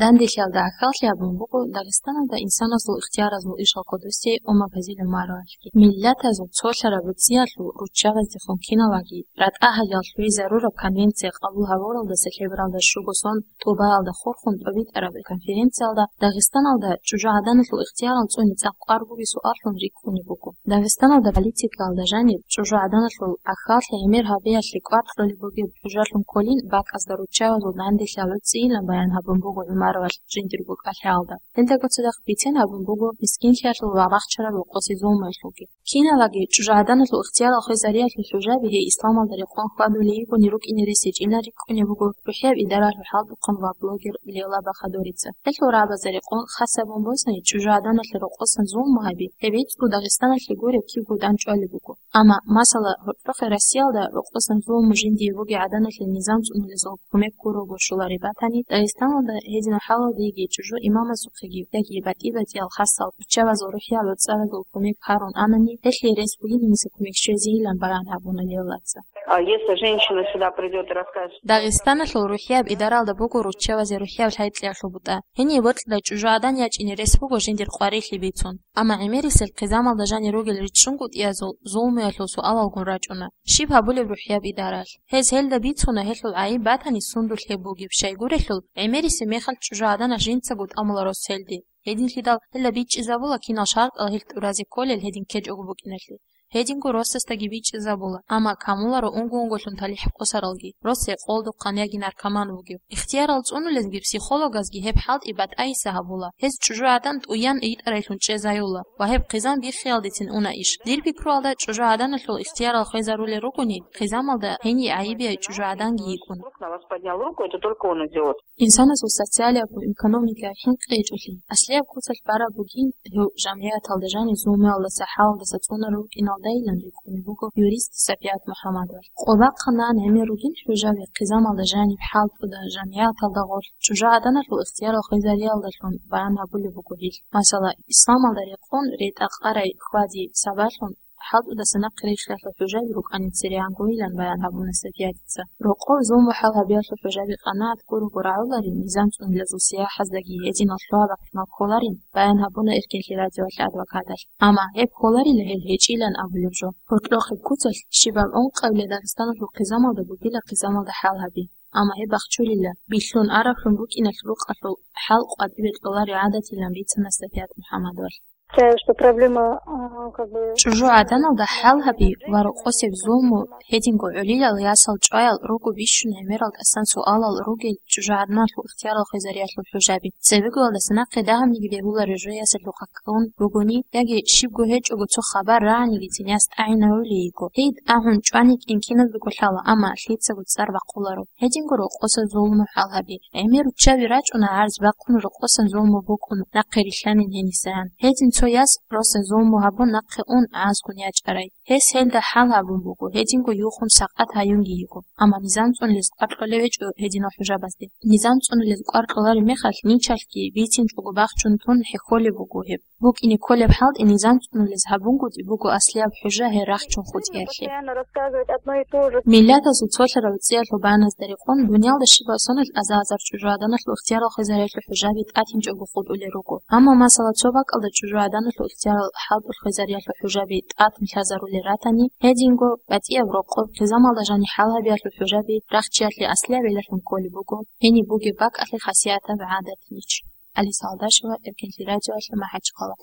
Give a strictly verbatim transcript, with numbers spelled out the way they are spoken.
Данделъиялда гӀахьаллъи гьабун буго Дагъистаналда инсаназул ихтияразул ишал кодосей Умарбазил ГӀумаровалъги. Миллатазул цолъараб гӀуцӀиялъул руччабаздехун киналаги ратӀа гьайил лъугӀизарураб конвенция къабул гьабуралдаса лъебералда щуго сон ТӀубаалда хурхун тӀобитӀараб конференциялда Дагъистаналда чӀужугӀаданалъул ихтиярал цӀуни цӀакъ къвар бугеб суаллъун рикӀкӀунеб буго. Дагъистаналда политикаялда жаниб чӀужугӀаданалъул гӀахьаллъи гӀемер гьабиялъе кӀвар кьолеб бугеб хӀужалъун кколин бакӀазда руччабазул данделъи гӀуцӀийилан баян гьабун буго ГӀумаровалъ жиндирго кӀалъаялда. Гьелдаго цадахъ бицен гьабун буго мискинлъиялъул ва бахчараб рокъосе зулмуялъулги. Киналаги чӀужугӀаданалъул ихтиярал хвезариялъул хӀужаби гьей исламалда рекъон хьвадулей йигони рукӀине рес гьечӀилан рикӀкӀунеб буго рухӀияб идаралъул хӀалтӀухъан ва блогер Лейла Бахадурица. Гьелъул рагӀабазда рекъон хас гьабун босани, чӀужугӀаданалъе рокъосан зулму гьаби, гьеб гӀицӀго Дагъистаналъе гуреб кибго дандчӀвалеб буго. Амма, масала, гьоркьохъе Россиялда рокъосан зулму жиндие бугеб гӀаданалъе низам цӀунулезул кумек гурого щолареб батани, Дагъистаналда гьединаб хӀалалда йигей чӀужу имамасухъеги яги батӀи-батӀиял хасал руччабазул рухӀияб гӀуцӀаразул кумек гьарун анани, гьелъие рес бугиланиса кумек щвезейилан баян гьабуна Лейлаца. А если женщина сюда придёт и расскажет, что Дагъистаналъул рухӀияб идаралда буго руччабазе рухӀияб лъай-кьеялъул бутӀа. Гьениб бокьида чӀужугӀадан ячӀине рес буго жиндир къварилъи бицун. Амма гӀемерисел хъизамалда жанир ругел ричӀчӀунгутӀиязул зулмуялъул суалалгун рачӀуна. Щиб гьабулеб рухӀияб идаралъ? Гьез гьелда бицуна гьелъул гӀайиб батани сундулъ гьеб бугеб, щайгурелъул гӀемерисеб мехалъ чӀужугӀаданас жинцаго тӀамула рос гьелде. Гьединлъидал гьелда бичӀчӀизабула кинал шартӀал гьел тӀуразе кколел гьедин ккечӀого букӀиналъе. Гьединго росасдаги бичӀчӀизабула, амма камуларо унго-унголъун талихӀ къосаралги, рос гьекъолдухъан яги наркоман вугев. Ихтиярал цӀунулезги психологазги гьеб хӀалтӀи батӀайиса гьабула. Гьез чӀужугӀадан тӀуян йитӀарайлъун чӀезаюла ва гьеб хъизан биххиялдецин уна иш. Дир пикруялда, чӀужугӀаданалъул ихтиярал хвезарулел ругони, хъизамалда гьениб гӀайибияй чӀужугӀаданги йикӀун. Вдруг на вас поднял руку, это только он идиот. Инсанасул социалияб ва экономикаяб хӀинкъи гьечӀолъи, аслияб куцалъ бараб бугин гьев жамгӀияталда жанив зулмуялдаса хӀалалдаса цӀунарав вукӀиналдайилан рикӀкӀунеб буго юрист Сапият МухӀаммадовалъ. Къо бахъанан гӀемер ругин хӀужаби хъизамалда жаниб хӀалтӀуда жамгӀияталда гъорлъ чӀужугӀаданалъул ихтиярал хвезариялдалъун баян гьабулеб буго гьел. Масала, исламалда рекъон ретӀа къарай хьвади сабаблъун хӀалтӀудаса нахъе рихьиялъул хӀужаби рукӀани цере гьангойилан баян гьабуна Сапиятица. Рокъов зулму хӀал гьабиялъул хӀужаби къанагӀат гурого рагӀуларин низам цӀунулезул сияхӀаздаги гьединал лъугьа-бахъинал кколарин баян гьабуна Эркенлъи радиоялъ адвокаталъ. Амма гьеб кколарила гьел гьечӀилан абулеб жо. Гьоркьохъеб куцалъ щибаб ункъабилеб Дагъистаналъул хъизамалда бугила хъизамалда хӀал гьаби. Амма гьеб бахчулила, билълъун араблъун букӀиналъ рукъалъул хӀал къватӀибе кьолареб гӀадатилан бицана Сапият МухӀаммадовалъ. Считаю, что проблема, а, как бы ЧӀужугӀаданалда хӀал гьаби ва рокъосеб зулму гьединго гӀолилал ясал чӀваял руго бищун гӀемерал тӀасан суалал ругел чӀужугӀаданалъул ихтиярал хвезариялъул хӀужаби. Цебегоялдаса нахъе дагьабниги бегьулареб жо ясалъухъа ккун бугони, яги щибго гьечӀого цо хабар рагӀанигицин яс тӀагӀинавулей йиго. Гьей тӀагӀун чӀванин киназдаго лъала, амма лъицаго цӀар бахъуларо. Гьединго рокъоса зулму хӀал гьаби. ГӀемер руччаби рачӀуна гӀарз бахъун рокъосан зулму букӀун, нахъе рилълъанин гьенисан. Гьедин цо яс росас зулму гьабун нахъе ун гӀазгун ячӀарай. Гьес гьелда хӀал гьабун буго, гьединго юхун сакъат гьаюнги йиго. Амма низам цӀунулез кӀвар кьолев гьечӀо гьединал хӀужабазде. Низам цӀунулез кӀвар кьолареб мехалъ ничалъги бицинчӀого бахчун тун хӀехьолеб буго гьеб. БукӀине кколеб хӀалтӀи низам цӀунулез гьабунгутӀи буго аслияб хӀужа гьей рахчун хутӀиялъе. Миллатазул цолъараб гӀуцӀиялъул баназда рекъон, дуниялда щибаб соналъ аза-азар чӀужугӀаданалъул ихтиярал хвезариялъул хӀужаби тӀатинчӀого хутӀулел руго. Амма, масала, цо бакӀалда чӀужугӀаданалъул ихтиярал хӀалтӀулъ хвезариялъул хӀужаби тӀатун лъазарулел ратани, гьединго батӀияб рокъоб хъизамалда жаниб хӀал гьабиялъул хӀужаби рахчиялъе аслияб гӀиллалъун кколеб буго гьениб бугеб бакӀалъе хасиятаб гӀадат нич. Алиса Алдашева, Эркенлъи радиоялъ, МахӀачхъала.